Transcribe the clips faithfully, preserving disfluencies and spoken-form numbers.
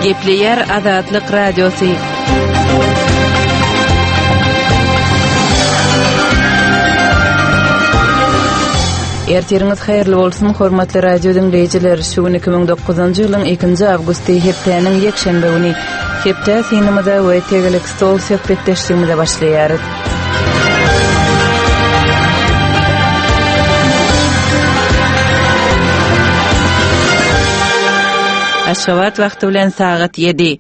Gepleýär Azatlyk Radiosy. Ertiriňiz haýyrly bolsun, hormatly radio diňleýjiler. Şu gün iki müň dokuzynjy ýylyň ikinji awgusty, hepdäniň ýekşenbe güni. Hepde synymyza we tegelek stol söhbetdeşligimize başlaýarys. Aşgabat wagty bilen sagat ýedi.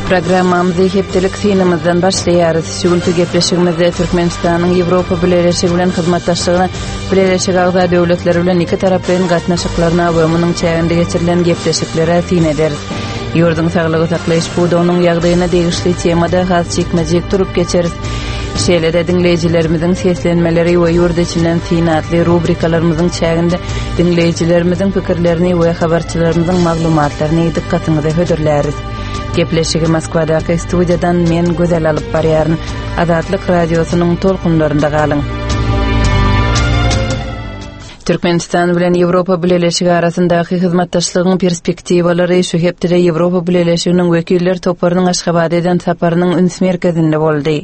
Programmamyzy hepdelik synymyzdan başlaýarys. Şu günki gepleşigimizde Türkmenistanyň Ýewropa Bileleşigi bilen hyzmatdaşlygyna, Bileleşige agza döwletler bilen iki taraplaýyn gatnaşyklaryna we munuň çäginde geçirilen gepleşiklere syn ederis. Ýurduň saglygy saklaýyş pudagynyň ýagdaýyna degişli temada has jikme-jik durup geçeris. Şeýle-de diňleýjilerimiziň seslenmeleri we ýurt içinden syn atly rubrikalarymyzyň çäginde diňleýjilerimiziň pikirlerini we habarçylarymyzyň maglumatlaryny dykgatyňyza hödürläris. Gepleşigi Moskwadaky studiýadan men Gözel alyp barýaryn. Azatlyk Radiosynyň tolkunlarynda galyň. Türkmenistan bilen Ýewropa Bileleşigi arasyndaky hyzmatdaşlygyň perspektiwalary şu hepdede Ýewropa Bileleşiginiň wekiller toparynyň Aşgabada eden saparynyň üns merkezinde boldy.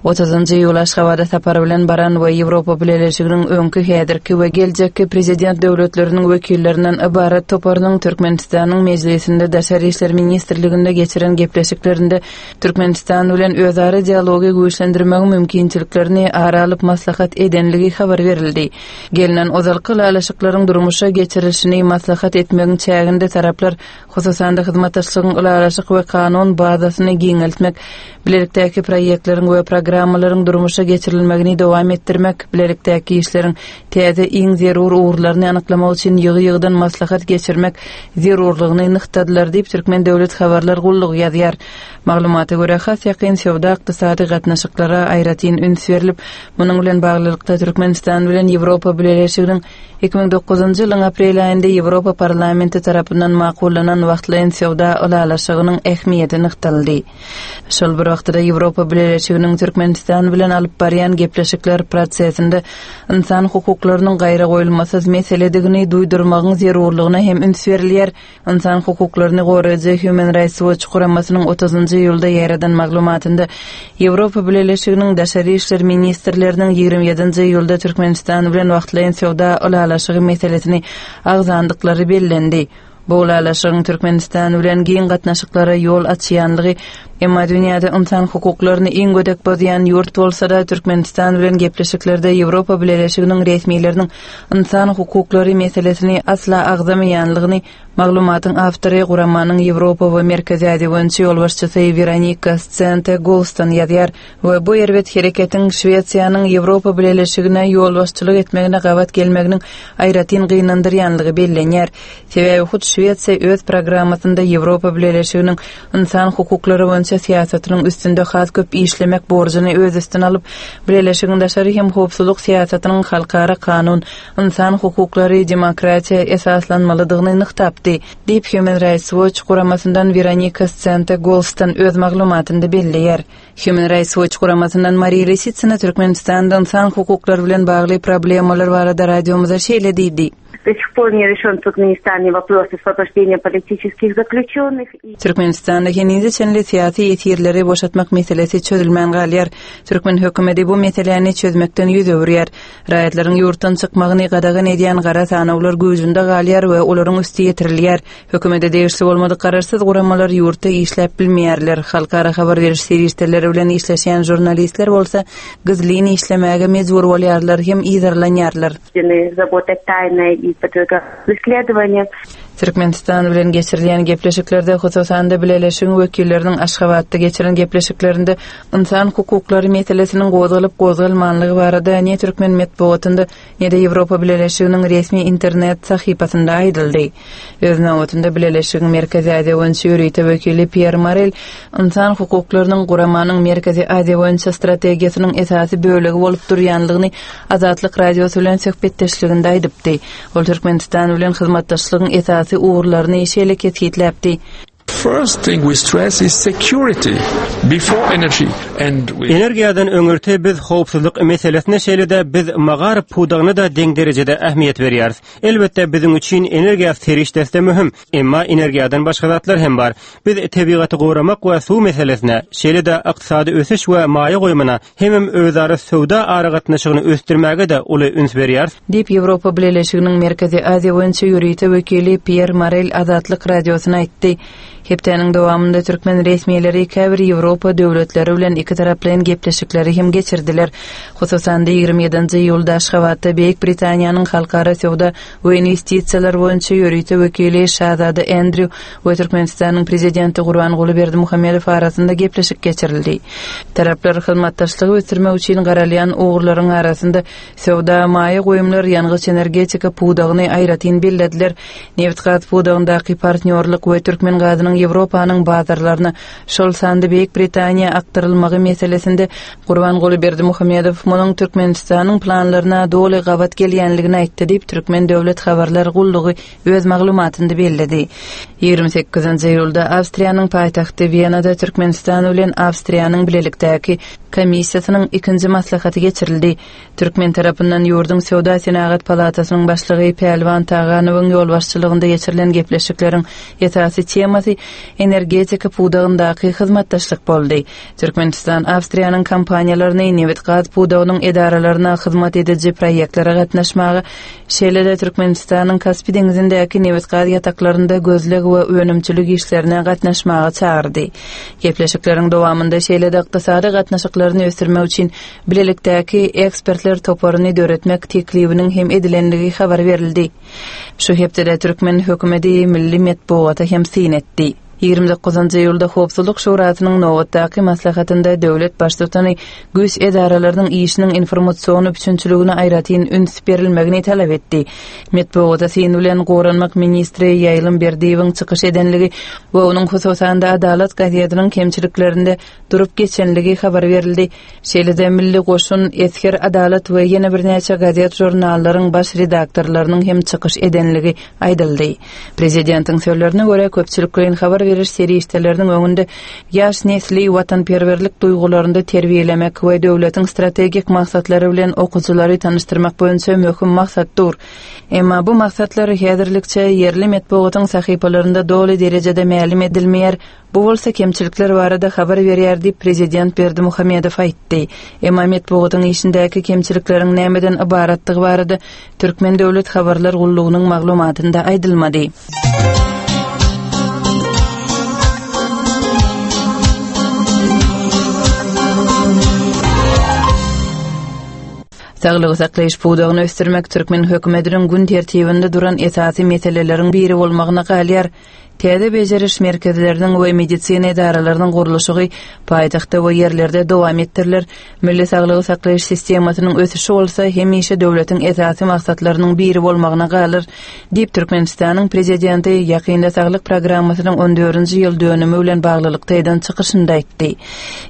Otuzynjy iýul Aşgabada sapar bilen baran we Ýewropa Bileleşiginiň öňki, häzirki we geljekki prezident döwletleriniň wekillerinden ybarat toparynyň Türkmenistanyň Mejlisinde Daşary işler ministrliginde geçiren gepleşiklerinde Türkmenistan bilen özara dialogy güýçlendirmegiň mümkinçiliklerini ara alyp maslahat edenligi habar berildi. Gelnen ozalky ylalaşyklaryň durmuşa geçirilişini maslahat etmegiň çäginde taraplar, hususan-da hyzmatdaşlygyň ylalaşyk we kanun bazasyny giňeltmek, bilelikdäki proýektleriň we programmalaryň durmuşa geçirilmegini dowam etdirmek, bilelikdäki işleriň täze iň zerur ugurlaryny anyklamak üçin ýygy-ýygydan maslahat geçirmek zerurlygyny nygtadylar diýip, Türkmen döwlet habarlar gullugy ýazýar. Maglumata görä, has ýakyn söwda-ykdysady gatnaşyklara aýratyn üns berlip, munuň bilen baglylykda Türkmenistan bilen Ýewropa Bileleşiginiň iki müň dokuzynjy ýylyň aprel aýynda Ýewropa Parlamenti tarapyndan makullanan wagtlaýyn söwda ylalaşygynyň ähmiýeti nygtaldy. Şol bir wagtda Ýewropa Bileleşiginiň Türkmenistan bilen alyp barýan gepleşikler prosesinde ynsan hukuklarynyň gaýragoýulmasyz meseledigini duýdurmagyň zerurlygyna hem üns berilýär. Ynsan hukuklaryny goraýjy Human Rights Watch guramasynyň otuzynjy iýulda ýaýradan maglumatynda Ýewropa Bileleşiginiň daşary işler ministrleriniň ýigrimi ýedinji iýulda Türkmenistan bilen wagtlaýyn söwda ylalaşygy meselesini agzandyklary bellendi. Bu ylalaşygyň Türkmenistan bilen giň gatnaşyklara ýol açýanlygy, emma dünýäde ynsan hukuklaryny iň gödek bozýan ýurt bolsa-da, Türkmenistan bilen gepleşiklerde Ýewropa Bileleşiginiň resmileriniň ynsan hukuklary meselesini asla agzamaýanlygyny maglumatyň awtory guramanyň Ýewropa we Merkezi Aziýa boýunça ýolbaşçysy Weronika Sente Golston ýazýar we bu erbet hereketiň Şwesiýanyň Ýewropa Bileleşigine ýolbaşçylyk etmegine gabat gelmeginiň aýratyn gynandyrýanlygy bellenýär. Sebäbi hut Şwesiýa öz programmasynda Ýewropa Bileleşiginiň ynsan hukuklary boýunça syýasatynyň üstünde has köp işlemek borjuny öz üstüne alyp, Bileleşigiň daşary hem howpsuzlyk syýasatynyň halkara kanun, ynsan hukuklary, demokratiýa esaslanmalydygyny nygtapdy, diýip Human Rights Watch guramasyndan Weronika Sente Golston öz maglumatynda belleýär. Human Rights Watch guramasyndan Mariýa Lisitsina Türkmenistanda ynsan hukuklary bilen bagly problemalar barada radiomyza şeýle diýdi. До сих пор не решен в Туркменистане вопрос освобождения политических заключенных. Türkmenistanda henize çenli syýasy ýesirleri boşatmak meselesi çözülmän galýar. Türkmen hökümeti bu meseläni çözmekden ýüz öwürýär. Raýatlaryň ýurtdan çykmagyny gadagan edýän gara sanawlar güýjünde galýar we olaryň üsti ýetirilýär. Hökümete degişli bolmadyk garaşsyz guramalar ýurtda işläp bilmeýärler. Halkara habar beriş serişdeleri bilen işleşýän žurnalistler bolsa gizlin işlemäge mejbur bolýarlar hem yzarlanýarlar. Работать тайно и преследование. Türkmenistan bilen geçirilýän gepleşiklerde, hususan-da Bileleşigiň wekilleriniň Aşgabatda geçiren gepleşiklerinde ynsan hukuklary meselesiniň gozgalyp gozgalmanlygy barada ne türkmen metbugatynda, ne-de Ýewropa Bileleşiginiň resmi internet sahypasynda aýdyldy. Öz nobatynda Bileleşigiň Merkezi Aziýa boýunça ýörite wekili Pýer Morel ynsan hukuklarynyň guramanyň Merkezi Aziýa boýunça strategiýasynyň esasy bölegi bolup durýanlygyny Azatlyk Radiosy bilen söhbetdeşliginde aýdypdy. Ol Türkmenistan bilen hyzmatdaşlygyň esasy ugurlaryny şeýle kesgitläpdi. first thing we stress is security before energy. And we Energiýadan öňürti biz howpsuzlyk meselesine şeýle-de biz magaryf pudagyna-da deň derejede ähmiýet berýäris. Elbetde biziň üçin energiýa serişdesi de möhüm, emma energiýadan başga zatlar hem bar. Biz tebigaty goramak we suw meselesine, şeýle-de ykdysady ösüş we maýa goýumyna hemem özara söwda aragatnaşygyny ösdürmäge-de uly üns berýäris. Diýip Ýewropa Bileleşiginiň Merkezi Aziýa boýunça ýörite wekili Piýer Morel Azatlyk Radiosyna aýtdy. Hepdäniň dowamynda türkmen resmileri käbir Ýewropa döwletleri bilen iki taraplaýyn gepleşikleri hem geçirdiler. Hususan-da ýigrimi ýedinji iýulda Aşgabatda Beýik Britaniýanyň halkara söwda we investisiýalar boýunça ýörite wekili Şazada Andrew we Türkmenistanyň prezidenti Gurbanguly Berdimuhamedow arasynda gepleşik geçirildi. Taraplar hyzmatdaşlygy ösdürmek üçin garalýan ugurlaryň arasynda söwda, maýa goýumlar, ýangyç energetika pudagyny aýratyn bellediler. Nebit-gaz pudagyndaky partnýorlyk we türkmen gazynyň Ýewropanyň bazarlaryna, şol sanda Beýik Britaniýa akdyrylmagy meselesinde Gurbanguly Berdimuhamedow munuň Türkmenistanyň planlaryna doly gabat gelýänligini aýtdy diýip Türkmen döwlet habarlar gullugy öz maglumatynda belledi. Ýigrimi sekizinji iýulda Awstriýanyň paýtagty Wenada Türkmenistan bilen Awstriýanyň bilelikdäki komissiýasynyň ikinji maslahaty geçirildi. Türkmen tarapyndan ýurduň Söwda Senagat palatasynyň başlygy Pälwan Taganowyň ýolbaşçylygynda geçirilen gepleşikleriň esasy temasy energetika pudagyndaky hyzmatdaşlyk boldy. Türkmenistan Awstriýanyň kompaniýalaryny nebit-gaz pudagynyň edaralaryna hyzmat ediji proýektlere gatnaşmaga, şeýle-de Türkmenistanyň Kaspi deňzindäki nebit-gaz ýataklarynda gözleg we önümçilik işlerine gatnaşmaga çagyrdy. Gepleşikleriň dowamynda şeýle-de ykdysady gatnaşyklaryny ösdürmek üçin bilelikdäki ekspertler toparyny döretmek teklibiniň hem edilenligi habar berildi. Şu hepdede türkmen hökümeti milli metbugata hem syn etdi. Ýigrimi dokuzynjy iýulda Howpsuzlyk Şurasynyň nobatdaky maslahatynda döwlet baştutany güýç edaralarynyň işiniň informasion üpjünçiligine aýratyn üns berilmegini talap etdi. Metbugata syn bilen goranmak ministri Ýaýlym Berdiýewiň çykyş edenligi we onuň hususan-da Adalat gazetiniň kemçiliklerinde durup geçenligi habar berildi. Şeýle-de Milli Goşun, Esger Adalat we ýene birnäçe gazet žurnallaryň baş redaktorlarynyň hem çykyş edenligi aýdyldy. Prezidentiň sözlerine görä köpçülikleýin habar beriş serişdeleriniň öňünde ýaş nesli watanperwerlik duýgularynda terbiýelemek we döwletiň strategik maksatlary bilen okyjylary tanyşdyrmak boýunça möhüm maksat dur. Emma bu maksatlar häzirlikçe ýerli metbugatyň sahypalarynda doly derejede mälim edilmeýär. Bu bolsa kemçilikler barada habar berýär diýip prezident Berdimuhamedow aýtdy. Emma metbugatyň işindäki kemçilikleriň nämeden ybaratdygy barada Türkmen döwlet habarlar gullugynyň maglumatynda aýdylmady. Saglygy saklaýyş pudagyny ösdürmek türkmen hökümetiniň gün tertibinde duran esasy meseleleriň biri bolmagyna galýar. Täze bejeriş merkezleriniň we medisina edaralarynyň gurluşygy paýtagtda we ýerlerde dowam etdiriler. Milli saglygy saklaýyş sistemasynyň ösüşi bolsa hemişe döwletiň esasy maksatlarynyň biri bolmagyna galar, diýip Türkmenistanyň prezidenti ýakynda saglyk programmasynyň on dördünji ýyl dönümi bilen baglylykda eden çykyşynda aýtdy.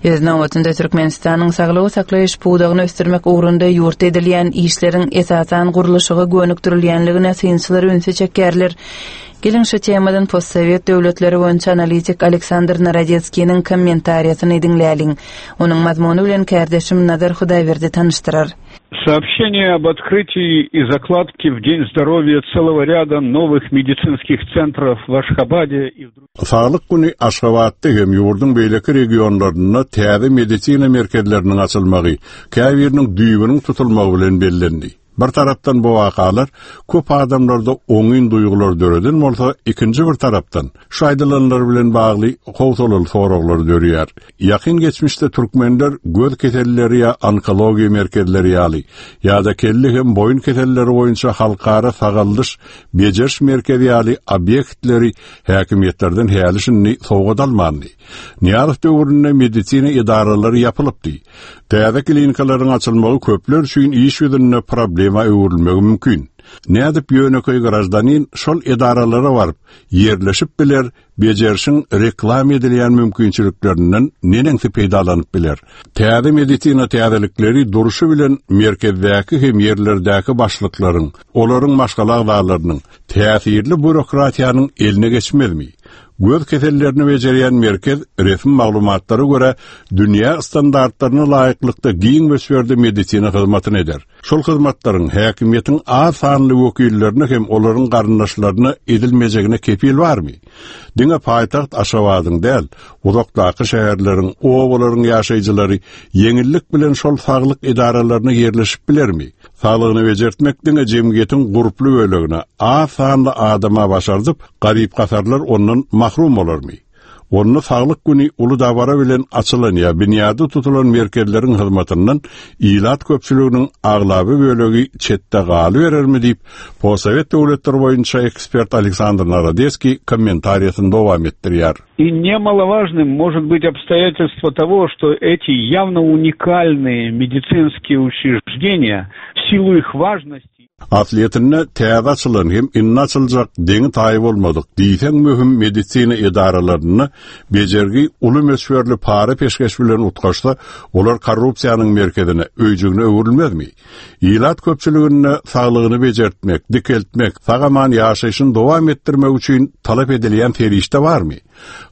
Öz nobatynda Türkmenistanyň saglygy saklaýyş pudagyny ösdürmek ugrunda ýurtda edilýän işleriň esasan gurluşyga gönükdirilýänligine synçylar ünsi çekýärler. Geliň şu temadan postsovet döwletleri boýunça analitik Aleksandr Narodetskiniň kommentariýasyny diňläliň. Onuň mazmuny bilen kärdeşim Nazar Hudaýberdi tanyşdyrar. Сообщение об открытии и закладке в День здоровья целого ряда новых медицинских центров в Ашхабаде и в других Saglyk güni Aşgabatda hem ýurduň beýleki regionlarynda täze medisina merkezleriniň açylmagy, käbiriniň düýbüniň tutulmagy bilen bellendi. Bir tarapdan bu wakalar köp adamlarda oňyn duýgular döreden bolsa, ikinji bir tarapdan şu aýdylanlar bilen bagly howsalaly soraglar dörýär. Ýakyn geçmişde türkmenler göz keselleri ýa onkologiýa merkezleri ýaly ýa-da kelle hem boýun keselleri boýunça halkara sagaldyş bejeriş merkezi ýaly obýektleri häkimiýetlerden häli şindi sowgat almandy. Nyýazow döwründe medisina edaralary ýapylypdy. Täze klinikalaryň açylmagy köpler üçin iş ýüzünde problema öwrülmegi mümkin. Nädip ýönekeý grajdanin şol edaralara baryp ýerleşip biler, bejerişiň reklam edilýän mümkinçiliklerinden neneňsi peýdalanyp biler. Täze medisina täzelikleri duruşy bilen merkezdäki hem ýerlerdäki başlyklaryň, olaryň maşgala agzalarynyň täsirli bürokratiýanyň eline geçmezmi? Göz kesellerini bejerýän merkez resmi maglumatlara görä dünýä standartlaryna laýyklykda giň möçberde medisina hyzmatyny eder. Şol hyzmatlaryň häkimiýetiň az sanly wekillerine hem olaryň garyndaşlaryna edilmejegine kepil barmy? Diňe paýtagt Aşgabadyň däl, uzakdaky şäherleriň, obalaryň ýaşaýjylary ýeňillik bilen şol saglyk edaralaryna ýerleşip bilermi? Saglygyny bejertmek diňe jemgyýetiň gurply bölegine, az sanly adama başardyp, garyp gasarlar ondan mahrum bolarmy? Onda saglyk güni uly dabara bilen açylan ýa binýady tutulan merkezleriň hyzmatyndan ilat köpçüliginiň aglaby bölegi çetde galyberermi diýip, Postsowet döwletleri boýunça ekspert Aleksandr Narodeskiý kommentariýasyny dowam etdirýär. И немаловажным может быть обстоятельство того, что эти явно уникальные медицинские учреждения в силу их важности Aslyýetinde täze açylan hem indi açyljak deňi taýy bolmadyk diýseň möhüm medisina edaralarynda bejergi uly möçberli para peşgeş bilen utgaşsa, olar korrupsiýanyň merkezine, öýjügine öwrülmezmi? Ilat köpçüliginde saglygyny bejertmek, dikeltmek, sag-aman ýaşaýşyny dowam etdirmek üçin talap edilýän serişde barmy?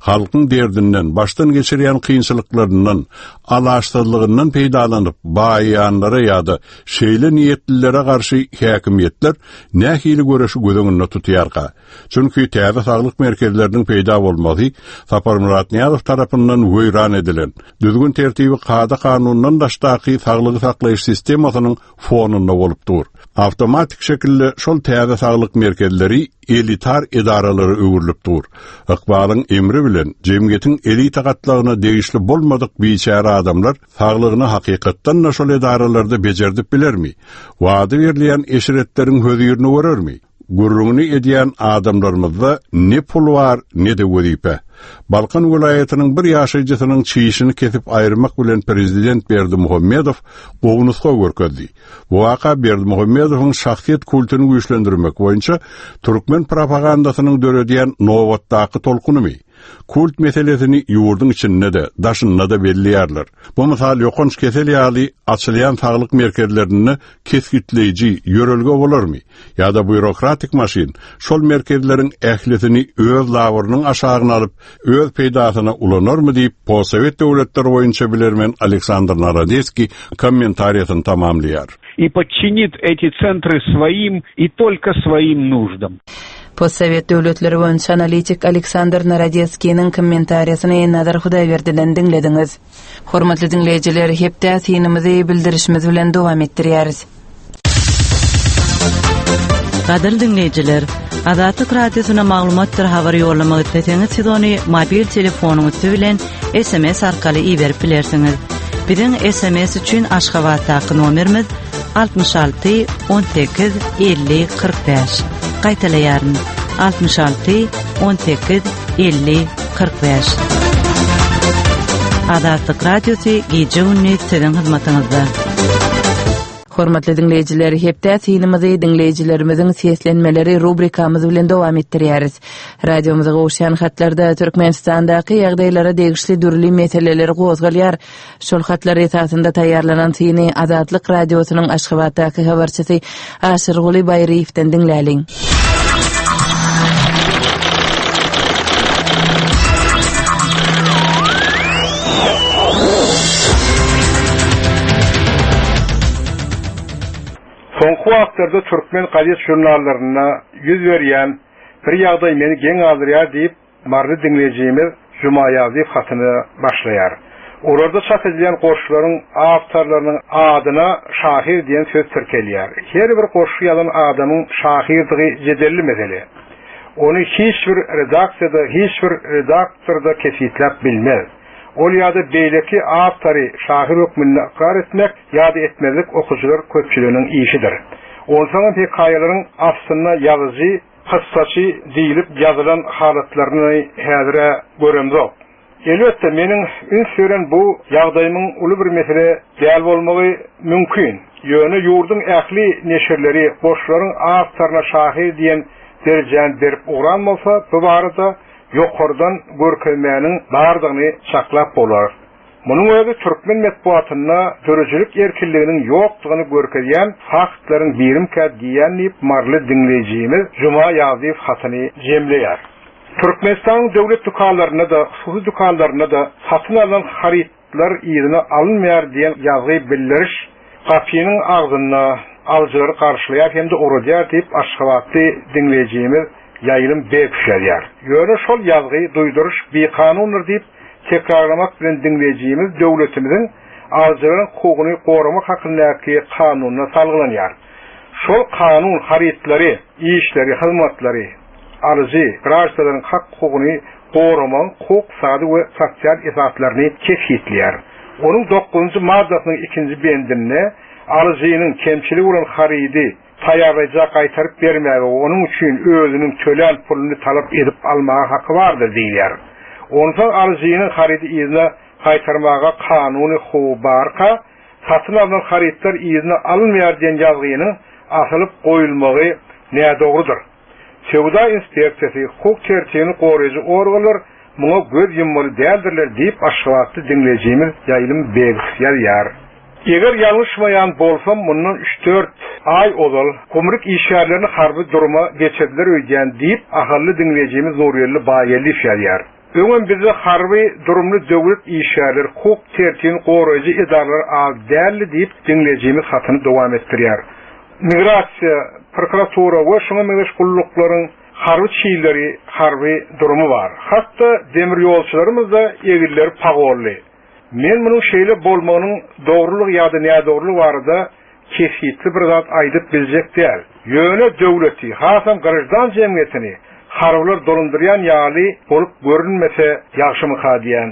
Halkyň derdinden, başdan geçirýän kynçylyklaryndan, alaçsyzlygyndan peýdalanyp, baýanlara ýa-da şeýle niýetlilere garşy häkimiýetler nähili göreşi göz öňünde tutýarka? Çünki täze saglyk merkezleriniň peýda bolmagy Saparmyrat Nyýazow tarapyndan weýran edilen, düzgün tertibi kada kanundan daşdaky saglygy saklaýyş sistemasynyň fonunda bolup dur. Awtomatik şekilde şol täze saglyk merkezleri elitar edaralara öwrülip dur. Ykbalyň emri bilen jemgyýetiň elita gatlagyna degişli bolmadyk biçäre adamlar saglygyny hakykatdan da şol edaralarda becerdip bilermi? Wada berilýän eşretleriň hözirini görermi? Gürrüňini edýän adamlarymyzda ne pul bar, ne de wezipe. Balkan welaýatynyň bir ýaşaýjysynyň çişini kesip aýyrmak bilen prezident Berdimuhamedow gowy nusga görkezdi. Bu waka Berdimuhamedowyň şahsyýet kultuny güýçlendirmek boýunça türkmen propagandasynyň döredýän nobatdaky tolkunymy? Kult meselesini ýurduň içinde-de, daşynda-da belleýärler. Bu mysal ýokanç kesel ýaly açylýan saglyk merkezlerinde kesgitleýji ýörelge bolarmy? Ýa-da býurokratik maşyn şol merkezleriň ählisini öz labyrynyň aşagyna alyp, öz peýdasyna ulanarmy diýip, Postsowet döwletleri boýunça bilermen Aleksandr Narodeskiý kommentariýasyny tamamlaýar. И подчинит эти центры своим и только своим нуждам. Postsowet döwletleri boýunça analitik Aleksandr Narodeskiniň kommentariýasyny Nazar Hudaýberdiden diňlediňiz. Hormatly diňleýjiler, hepde synymyzy bildirişimiz bilen dowam etdirýäris. Gadyrly diňleýjiler, Azatlyk Radiosyna maglumatdyr habar ýollamak isleseňiz, siz ony mobil telefonyň üsti bilen S M S arkaly iberip bilersiňiz. Biziň S M S üçin Aşgabatdaky nomerimiz altmyş alty on sekiz elli kyrk bäş. Gaýtalaýaryn. altmyş alty on sekiz elli kyrk bäş. Azatlyk Radiosy gije gündüz siziň hyzmatyňyzda. Hormatly diňleýjiler, hepde synymyzy diňleýjilerimiziň seslenmeleri rubrikamyz bilen dowam etdirýäris. Radiomyza gowuşýan hatlarda Türkmenistandaky ýagdaýlara degişli dürli meseleler gozgalýar. Şol hatlar esasynda taýýarlanan syny Azatlyk Radiosynyň Aşgabatdaky habarçysy Aşyrguly Baýryýewden diňläliň. Soňky wagtlarda türkmen gazet jurnallarynda ýüz berýän bir ýagdaý meni geň galdyrýar diýip, Maryly diňleýjimiz Juma Ýazdyýew hatyny başlaýar. Olarda çap edilýän goşgularyň awtorlarynyň adyna şahyr diýen söz tirkelýär. Her bir goşgy ýazan adamyň şahyrdygy jedelli mesele. Ony hiç bir redaksiýada, hiç bir redaktorda kesgitläp bilmez. Ol ýa-da beýleki awtory şahyr hökmünde ykrar etmek ýa-da etmezlik okyjylar köpçüliginiň işidir. Onsoňam hekaýalaryň aslynda ýazyjy, kyssaçy diýlip ýazylan halatlaryny häzire göremzok. Elbetde meniň üns beren bu ýagdaýymyň uly bir mesele däl bolmagy mümkin. Ýöne ýurduň ähli neşirleri goşgularyň awtoryna şahyr diýen derejäni berip ugran bolsa, bu barada ýokardan görkezmäniň bardygyny çaklap bolar. Munuň özi türkmen metbugatynda döredijilik erkinliginiň ýokdugyny görkezýän faktlaryň birimkä diýýän diýip Maryly diňleýjimiz Juma Ýazdyýew hatyny jemleýär. Türkmenistanyň döwlet dükanlarynda-da, hususy dükanlarynda-da satyn alnan harytlar yzyna alynmaýar diýen ýazgy bildiriş gapynyň agzynda alyjylary garşylaýar hem-de ugradýar diýip Aşgabatly diňleýjimiz Ýaýlym Begow ýazýar. Ýöne şol ýazgy duýduryş bikanundyr diýip tekrarlamak bilen diňleýjimiz döwletimiziň alyjylaryň hukugyny goramak hakyndaky kanunyna salgylanýar. Şol kanun harytlary, işleri, hyzmatlary alyjy graždanlaryň hak hukugyny goramagyň hukuk, sady we sosial esaslaryny kesgitleýär. Onuň dokuzynjy maddasynyň ikinji bendinde alyjynyň kemçiligi bolan harydy taýýarlaýja gaýtaryp bermäge we onuň üçin özüniň tölän puluny talap edip almaga haky bardyr diýilýär. Onsoň alyjynyň harydy yzyna gaýtarmaga kanuny hukugy barka, satyn alnan harytlar yzyna alynmaýar diýen ýazgynyň asylyp goýulmagy nädogrudyr. Söwda inspeksiýasy, hukuk tertibini goraýjy organlar muňa göz ýummaly däldirler diýip Aşgabatly diňleýjimiz Ýaýlym Begow ýazýar. Eger ýalňyşmaýan bolsam, mundan üç-dört aý ozal gümrük işgärlerini harby duruma geçirdiler öýdýän diýip ahally diňleýjimiz Nurgeldi Baýgeldiýew ýazýar. Öňem bizde harby durumly döwlet işgärleri, hukuk tertibini goraýjy edaralar az däldi diýip diňleýjimiz hatyny dowam etdirýär. Migrasiýa, prokuratura we şoňa meňzeş gulluklaryň harby çiýleri, harby durumy bar. Hatda demir ýolçularymyz da egilleri pagolly. Men munuň şeýle bolmagynyň dogrulygy ýa-da nädogrulygy barada kesgitli bir zat aýdyp biljek däl. Ýöne döwleti, hasam graždan jemgyýetini harbylar dolandyrýan ýaly bolup görünmese ýagşymyka diýen.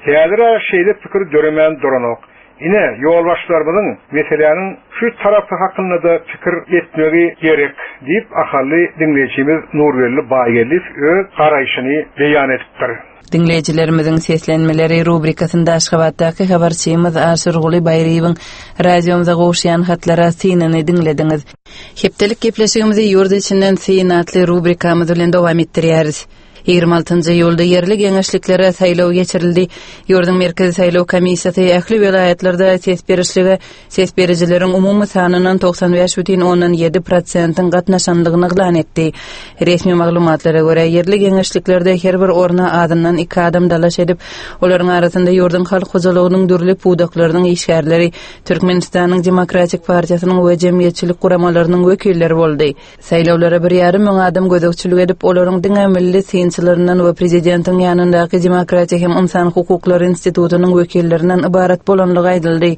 Häzir şeýle pikir döremän duranok. Ine, ýolbaşçylarymyzyň meseläniň şu tarapy hakynda da pikir etmegi gerek diýip ahally diňleýjimiz Nurgeldi Baýgeldiýew öz garaýşyny beýan edipdir. Diňleýjilerimiziň seslenmeleri rubrikasynda Aşgabatdaky habarçymyz Aşyrguly Baýryýewiň radiomyza gowuşýan hatlara synyny diňlediňiz. Hepdelik gepleşigimizi ýurt içinden syn atly rubrikamyz bilen dowam etdirýäris. Ýigrimi altynjy iýulda ýerli geňeşliklere saýlaw geçirildi. Ýurduň Merkezi saýlaw komissiýasy ähli welaýatlarda ses berişlige ses berijileriň umumy sanyndan togsan bäş bütin ondan ýedi prosentiň gatnaşandygyny yglan etdi. Resmi maglumatlara görä, ýerli geňeşliklerde her bir orna azyndan iki adam dalaş edip, olaryň arasynda ýurduň halk hojalygynyň dürli pudaklarynyň işgärleri, Türkmenistanyň Demokratik Partiýasynyň we jemgyýetçilik guramalarynyň wekilleri boldy. Saýlawlara bir ýarym müň adam gözegçilik edip, olaryň diňe milli synçylaryndan we prezidentiň ýanyndaky Demokratiýa hem Ynsan hukuklary institutynyň wekillerinden ybarat bolanlygy aýdyldy.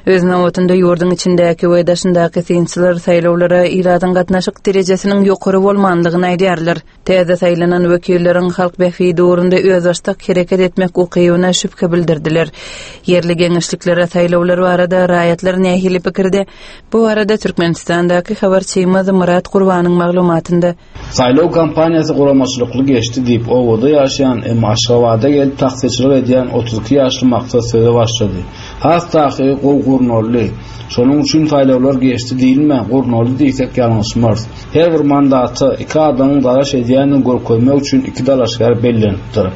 Öz nobatynda ýurduň içindäki we daşyndaky synçylar saýlawlara ilatyň gatnaşyk derejesiniň ýokary bolmandygyny aýdýarlar. Täze saýlanan wekilleriň halk bähbidi ugrunda özbaşdak hereket etmek ukybyna şübhe bildirdiler. Ýerli geňeşliklere saýlawlar barada raýatlar nähili pikirde? Bu barada Türkmenistandaky habarçymyz Murat Gurbanyň maglumatynda. Saýlaw kampaniýasy guramaçylykly geçdi diýip, obada ýaşaýan, emma Aşgabada gelip taksiçilik edýän otuz iki ýaşly Maksat söze başlady. Has takygy gowy gurnaldy. Şonuň üçin saýlawlar geçdi diýilmä, gurnaldy diýsek ýalňyşmarys. Her bir mandata iki adamyň dalaş edýänini görkezmek üçin iki dalaşgär bellenipdir.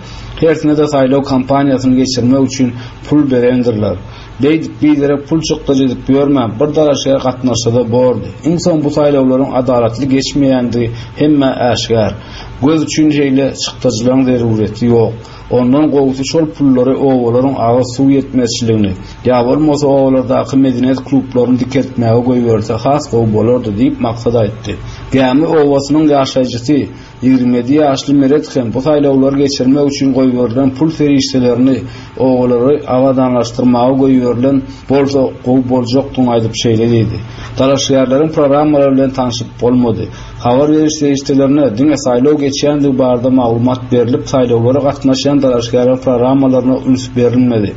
Hersine de saýlaw kampaniýasyny geçirmek üçin pul berendirler. Beýdip biderek pul çykdajy edip ýörmän, bir dalaşgär gatnaşsa-da bordy. Iň soň bu saýlawlaryň adalatly geçmeýändigi hemmä äşgär. Göz üçin şeýle çykdajylaryň zerureti ýok. Ondan gowusy şol pullary obalaryň agyz suw ýetmezçiligini, ýa bolmasa obalardaky medeniýet klublaryny dikeltmäge goýberse has gowy bolardy diýip Maksat aýtdy. Gämi obasynyň ýaşaýjysy ýigrimi ýedi ýaşly Meret hem bu saýlawlary geçirmek üçin goýberilen pul serişdelerini obalary abadanlaşdyrmaga goýberilen bolsa gowy boljakdygyny aýdyp şeýle diýdi. Dalaşgärleriň programmalary bilen tanşyp bolmady. Habar beriş serişdelerine diňe saýlaw geçýändigi barada maglumat berilip, saýlawlara gatnaşýan dalaşgärleriň programmalaryna üns berilmedi.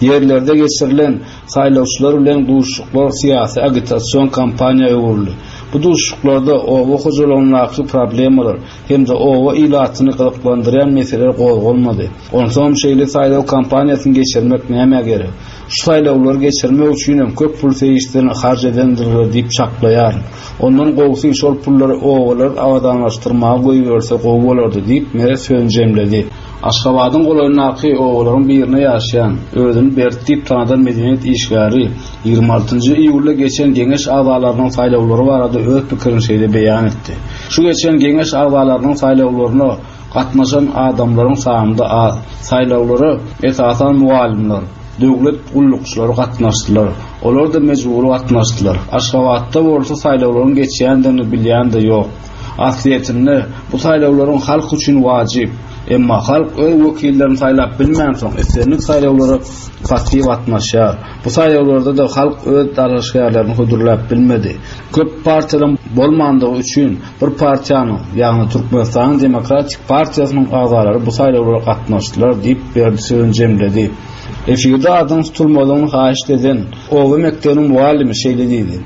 Ýerlerde geçirilen saýlawçylar bilen duşuşyklar syýasy agitasion kampaniýa öwrüldi. Bu duşuşyklarda oba hojalygyndaky problemalar hem-de oba ilatyny gyzyklandyrýan meseleler gozgalmady. Onsoň şeýle saýlaw kampaniýasyny geçirmek nämä gerek? Şu saýlawlary geçirmek üçin hem köp pul serişdelerini harç edendirler diýip çaklaýaryn. Ondan gowusy şol pullary obalary abadanlaşdyrmaga goýberse gowy bolardy diýip Meret sözüni jemledi. Aşgabadyň golaýyndaky obalaryň birine ýaşaýan, özüni Bert diýip tanadan medeniýet işgäri ýigrimi altynjy iýulda geçen geňeş agzalarynyň saýlawlary barada öz pikirini şeýle beýan etdi. Şu geçen geňeş agzalarynyň saýlawlaryna Gatnaşan adamlaryň sany-da az. Saýlawlara esasan mugallymlar, döwlet gullukçylary gatnaşdylar. Olar-da mejbury gatnaşdylar. Aşgabatda bolsa saýlawlaryň geçýändigini bilýän-de ýok. Aslyýetinde bu saýlawlaryň halk üçin wajyp. Emma halk öz wekillerini saýlap bilmänsoň, islendik saýlawlara passiw gatnaşýar. Bu saýlawlarda-da halk öz dalaşgärlerini hödürläp bilmedi. Köp partiýalaryň bolmandygy üçin bir partiýanyň, ýagny Türkmenistanyň Demokratik partiýasynyň agzalary bu saýlawlara gatnaşdylar diýip, Berdi sözüni jemledi. Efirde adynyň tutulmadygyny haýyşt eden oba mekdebiniň mugallymy şeýle diýdi: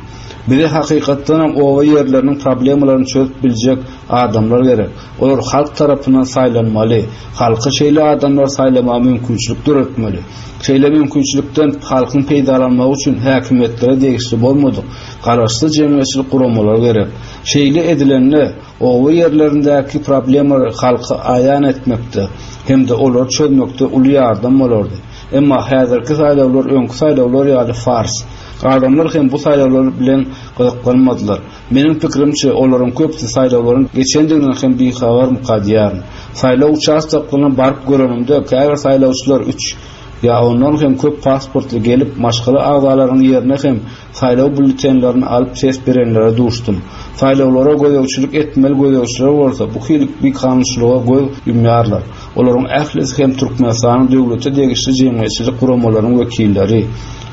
Bize hakykatdanam oba ýerleriniň problemalaryny çözüp biljek adamlar gerek. Olar halk tarapyndan saýlanmaly. Halka şeýle adamlary saýlamaga mümkinçilik döretmeli. Şeýle mümkinçilikden halkyň peýdalanmagy üçin häkimiýetlere degişli bolmadyk garaşsyz jemgyýetçilik guramalary gerek. Şeýle edilende oba ýerlerindäki problemalary halka aýan etmekde hem-de olary çözmekde uly ýardam bolardy. Emma häzirki saýlawlar öňki saýlawlar ýaly fars. Adamlar hem bu saýlawlar bilen gyzyklanmadylar. Meniň pikirimçe, olaryň köpüsi saýlawlaryň geçendiginden hem bihabarmyka diýýärin. Saýlaw uçastoklaryna baryp görenimde käbir saýlawçylar üç ýa ondan hem köp pasportly gelip, maşgala agzalarynyň ýerine hem saýlaw býulletenlerini alyp ses berenlere duşdum. Saýlawlara gözegçilik etmeli gözegçiler bolsa bu hili bikanunçylyga göz ýumýarlar. Olaryň ählisi hem Türkmenistanyň döwlete degişli jemgyýetçilik guramalarynyň wekilleri.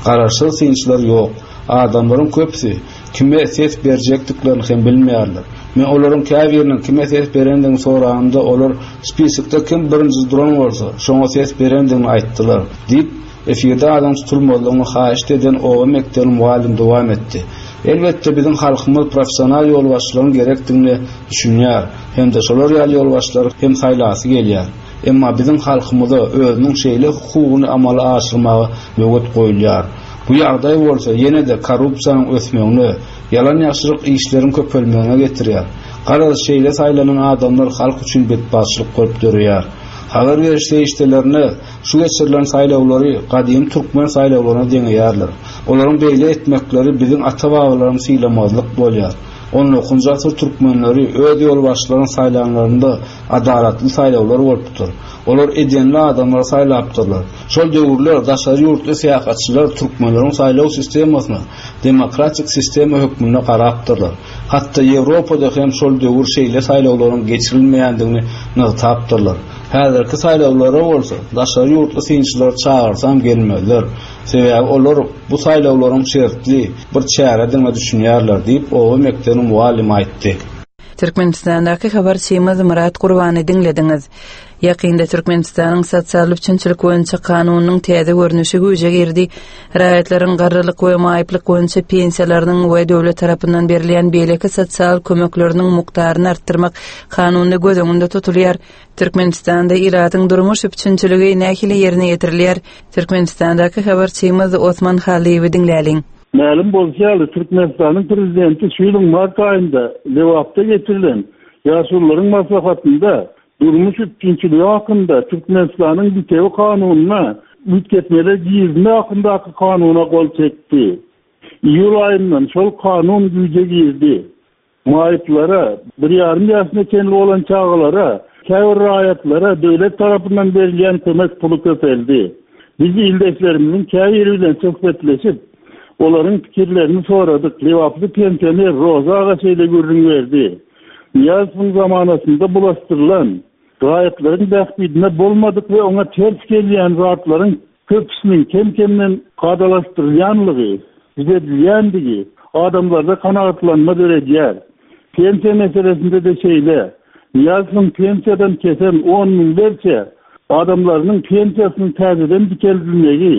Garaşsyz synçylar ýok. Adamlaryň köpüsi kime ses berjekdiklerini hem bilmeýärler. Men olaryň käbiriniň kime ses berendigini soranymda, olar spisokda kim birinji duran bolsa, şoňa ses berendigini aýtdylar diýip, efirde adynyň tutulmazlygyny haýyşt eden oba mekdebiniň mugallymy dowam etdi. Elbetde, biziň halkymyz professional ýolbaşçylaryň gerekdigine düşünýär hem-de şolar ýaly ýolbaşçylary hem saýlasy gelýär. Emma biziň halkymyza özüniň şeýle hukugyny amala aşyrmaga böwet goýulýar. Bu ýagdaý bolsa ýene-de korrupsiýanyň ösmegine, ýalan-ýaşryk işleriň köpelmegine getirýär. Garaz, şeýle saýlanan adamlar halk üçin betbagtçylyk bolup döreýär. Habar beriş serişdelerine şu geçirilen saýlawlary gadymy türkmen saýlawlaryna deňeýärler. Olaryň beýle etmekleri biziň ata-babalarymyzy sylamazlyk bolýar. On dokuzynjy asyr türkmenleri öz ýolbaşçylaryny saýlanlarynda adalatly saýlawlar bolupdyr. Olar edenli adamlary saýlapdyrlar. Şol döwürler daşary ýurtly syýahatçylar türkmenleriň saýlaw sistemasyna demokratik sistema hökmünde garapdyrlar. Hatda Ýewropada hem şol döwür şeýle saýlawlaryň geçirilmeýändigini nygtapdyrlar. Häzirki saýlawlara bolsa daşary ýurtly synçylary çagyrsam gelmezler. Sebäbi olar bu saýlawlaryň şertli bir çäredigine düşünýärler diýip, oba mekdebiniň mugallymy aýtdy. Türkmenistandaky habarçymyz Myrat Gurbany diňlediňiz. Ýakynda Türkmenistanyň sosial üpjünçilik boýunça kanunynyň täze görnüşi güýje girdi. Raýatlaryň garrylyk we maýyplyk boýunça pensiýalarynyň we döwlet tarapyndan berilýän beýleki sosial kömekleriniň mukdaryny artdyrmak kanunda göz öňünde tutulýar. Türkmenistanda ilatyň durmuş üpjünçiligi nähili ýerine ýetirilýär? Türkmenistandaky habarçymyz Osman Halyýewi diňläliň. Mälim bolşy ýaly, Türkmenistanyň prezidenti şu ýylyň mart aýynda Lebapda geçirilen ýaşulularyň maslahatynda durmuş üpjünçiligi hakynda Türkmenistanyň bitewi kanunyna üýtgetmeler girizmek hakyndaky kanuna gol çekdi. Iýul aýyndan şol kanun güýje girdi. Maýyplara, bir ýarym ýaşyna çenli bolan çagalara, käbir raýatlara döwlet tarapyndan berilýän kömek puly köpeldi. Biz ildeşlerimiziň käbiri bilen söhbetleşip, olaryň pikirlerini soradyk. Lebaply pensioner Roza aga şeýle gürrüň berdi. Nyýazowyň zamanasynda bulaşdyrylan, raýatlaryň bähbidine bolmadyk we oňa ters gelýän zatlaryň köpüsiniň kem-kemden kadalaşdyrylýanlygy, düzedilýändigi adamlarda kanagatlanma döredýär. Pensiýa meselesinde-de şeýle. Nyýazowyň pensiýadan kesen on müňlerçe adamlarynyň pensiýasynyň täzeden dikeldilmegi,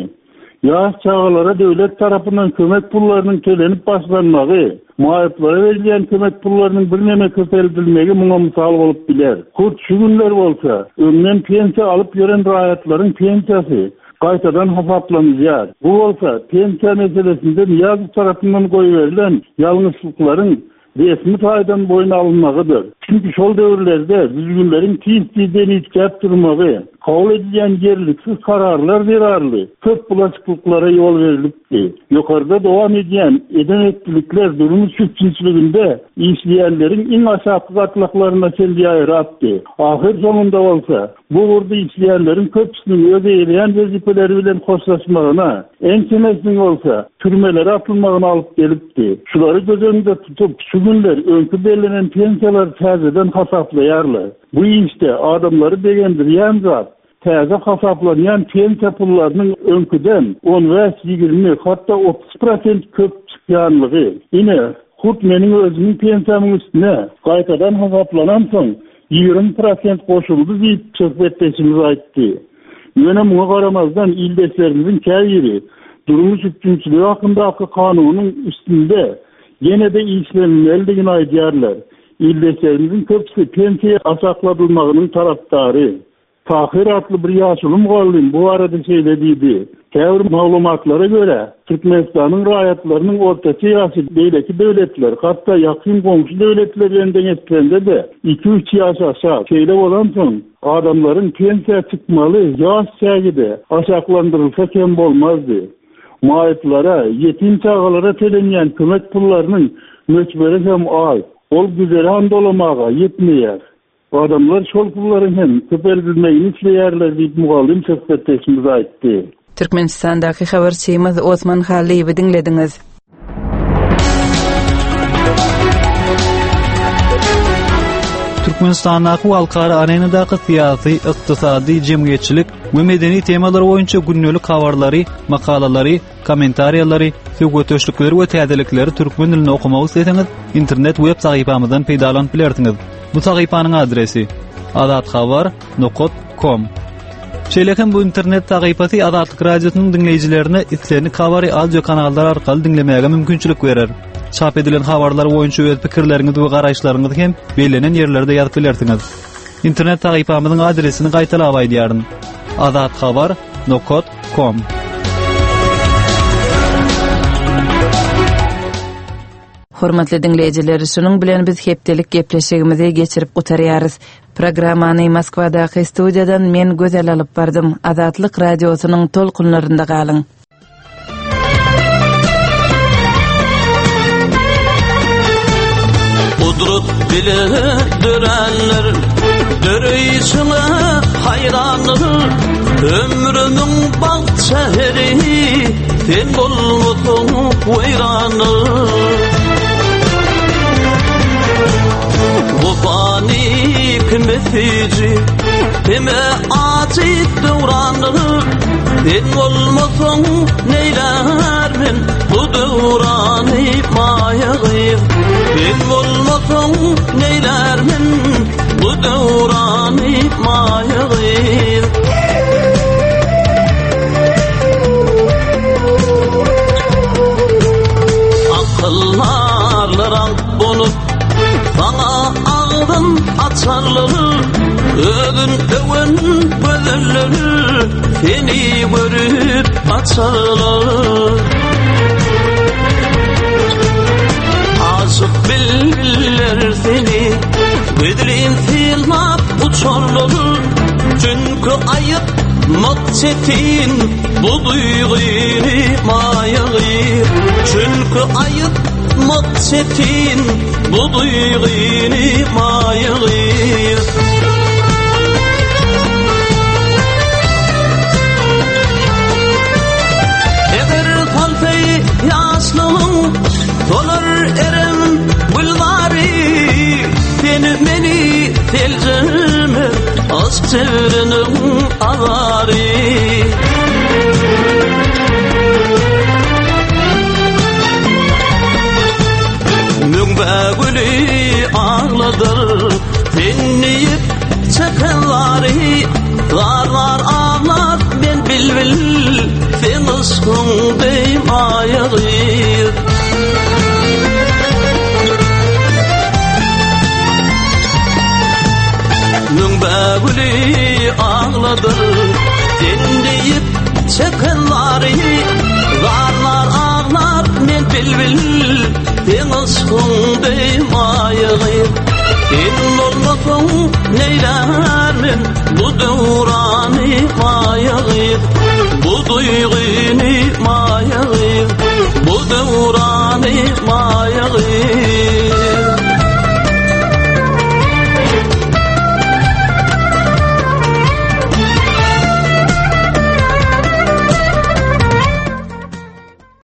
ýaş çagalara döwlet tarapyndan kömek pullarynyň tölenip başlanmagy, maýyplara berilýän kömek pullarynyň birneme köpeldilmegi muňa mysal bolup biler. Hut şu günler bolsa, öňden pensiýa alyp ýören raýatlaryň pensiýasy gaýtadan hasaplanylýar. Bu bolsa pensiýa meselesinde Nyýazow tarapyndan goýberilen ýalňyşlyklaryň resmi taýdan boýun alynmagydyr. Çünki şol döwürlerde düzgünleriň tiz-tizden üýtgäp durmagy, kabul edilýän ýerliksiz kararlar zerarly köp bulaşyklyklara ýol berilipdi. Ýokarda dowam edýän eden-etdilikler durmuş üpjünçiliginde işleýänleriň iň aşaky gatlaklaryna çenli ýaýrapdy. Ahyr soňunda bolsa, bu ugurda işleýänleriň köpüsiniň öz eýeleýän wezipeleri bilen hoşlaşmagyna, ençemesiniň bolsa türmelere atylmagyna alyp gelipdi. Şulary göz öňünde tutup, şu günler öňki bellenen pensiýalary täzeden hasaplaýarlar. Bu işde adamlary begendirýän zat, täze hasaplanýan pensiýa pullarynyň öňküden on bäş, ýigrimi, hatda otuz prosent köp çykýanlygy. Ine, hut meniň özümiň pensiýamyň üstüne gaýtadan hasaplanansoň ýigrimi prosent goşuldy diýip söhbetdeşimiz aýtdy. Ýöne muňa garamazdan ildeşlerimiziň käbiri durmuş üpjünçiligi hakyndaky kanunyň üstünde ýene-de işlenilmelidigini aýdýarlar. Ildeşlerimiziň köpüsi pensiýa aşakladylmagynyň tarapdary. Tahir atly bir ýaşuly mugallym bu barada şeýle diýdi. Käbir maglumatlara görä, Türkmenistanyň raýatlarynyň ortaça ýaşy beýleki döwletler, hatda ýakyn goňşy döwletler bilen deňeşdirende-de iki-üç ýaş aşak. Şeýle bolansoň, adamlaryň pensiýa çykmaly ýaş çägi-de aşaklandyrylsa kem bolmazdy. Maýyplara, ýetim çagalara tölenýän kömek pullarynyň möçberi hem az. Ol güzeran dolamaga ýetmeýär. Adamlar şol pullaryň hem köpeldilmegini isleýärler diýip mugallym söhbetdeşimiz aýtdy. Türkmenistandaky habarçymyz Osman Halyýewi diňlediňiz. Türkmenistandaky we halkara arenadaky syýasy, ykdysady, jemgyýetçilik we medeni temalar boýunça gündelik habarlary, makalalary, kommentariýalary, söhbetdeşlikleri we täzelikleri türkmen dilinde okumak isleseňiz, internet web sahypamyzdan peýdalanyp bilersiňiz. Bu sahypanyň adresi azathabar nokta com. Şeýle hem bu internet sahypasy Azatlyk Radiosynyň diňleýjilerine islendik habary audio kanallar arkaly diňlemäge mümkinçilik berer. Çap edilen habarlar boýunça öz pikirleriňizi we garaýyşlaryňyzy hem bellenen ýerlerde ýazyp bilersiňiz. Internet sahypamyzyň adresini gaýtalap aýdýaryn. azathabar nokta com. Hormatly diňleýjiler, şunuň bilen biz hepdelik gepleşigimizi geçirip gutarýarys. Programmany Moskwadaky studiýadan men Gözel alyp bardym. Azatlyk radiosynyň tolkunlarynda galyň. Kudret bile dörenler, döreyşine hayranlar, ömrümün bagt şehri, sen bolmasaň weýranlar. Vefani kime süýji, kime acı döwranlar, sen bolmasaň neýler men bu döwrany maýagyz. Sen bolmasaň neýler men bu döwrany maýagyz. Akyllarlar aňk bolup sana agzyn açarlar, özün öwen gözeller seni görüp açarlar. Aşık bülbüller seni gözlin sylap uçarlar, çünki aýytmak çetin bu duýgyny maýagyr. Çünki aýytmak çetin bu duýgyny maýagyr. Eger salsay ýaşlygyň dolar erem gülbary, seni meni seljerme aşk çevreniň azary. Müňbe gülü ağladır sen diýip çekenlari, zarlar ağlar men bilbil sen yşkyň deý maýagyz. Müňbe gülü ağladır sen diýip çekenlari, zarlar ağlar men bilbil sen yşkyň deý maýagyz. Sen bolmasaň neýlär men bu döwrany maýa gyz Bu duýgyny maýa gyz Bu döwrany maýa gyz.